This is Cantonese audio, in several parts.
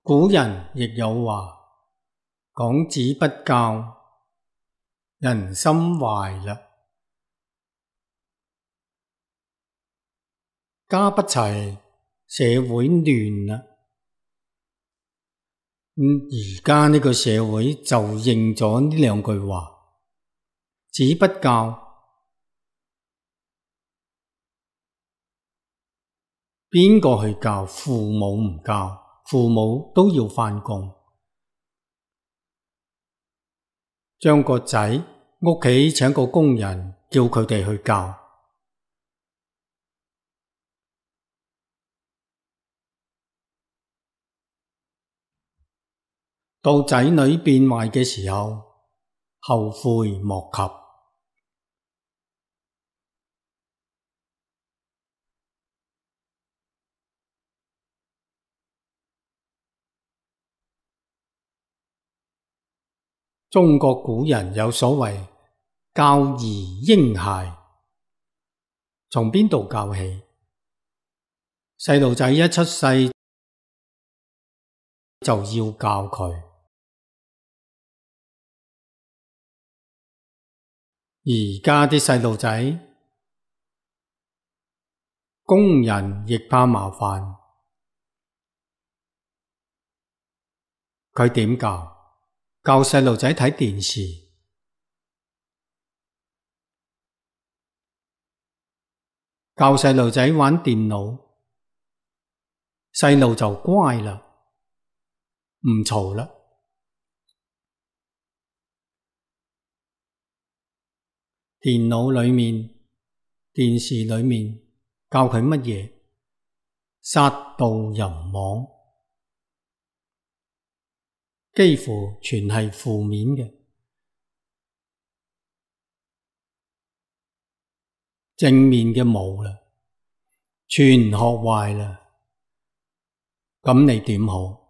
古人亦有話：講子不教，人心壞啦。家不齊，社會亂啦。而家呢個社會就應咗呢兩句話：子不教，邊個去教？父母唔教，父母都要返工，將個仔屋企請個工人叫佢哋去教。到仔女變壞嘅時候，後悔莫及。中國古人有所謂教兒嬰孩，從邊度教起？細路仔一出世就要教佢。而家啲細路仔，工人亦怕麻煩，佢點教？教細路仔睇電視，教細路仔玩電腦，細路就乖啦，唔嘈啦。電腦裏面、電視裏面教佢乜嘢？殺盜淫妄，幾乎全係負面嘅，正面嘅冇啦，全學壞啦。咁你點好？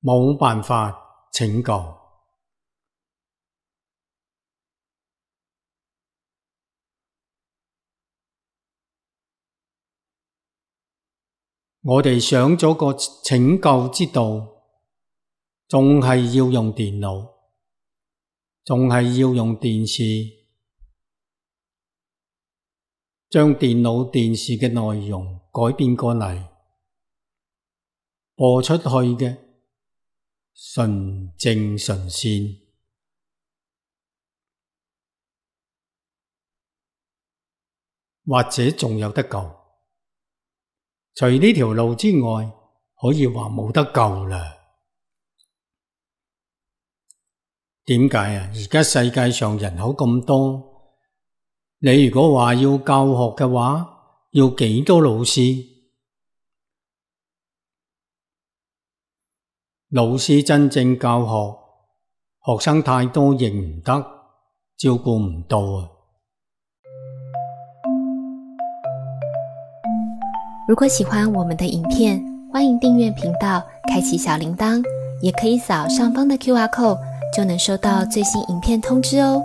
冇辦法拯救。我哋想咗個拯救之道，仲係要用電腦，仲係要用電視，將電腦、電視嘅內容改變過嚟，播出去嘅純正純善，或者仲有得救。除呢條路之外，可以話冇得救啦。點解啊？而家世界上人口咁多，你如果話要教學嘅話，要幾多老師？老師真正教學，學生太多亦唔得，照顧唔到啊。如果喜歡我們的影片，歡迎訂閱頻道，開啟小鈴鐺，也可以掃上方的QR code，就能收到最新影片通知哦。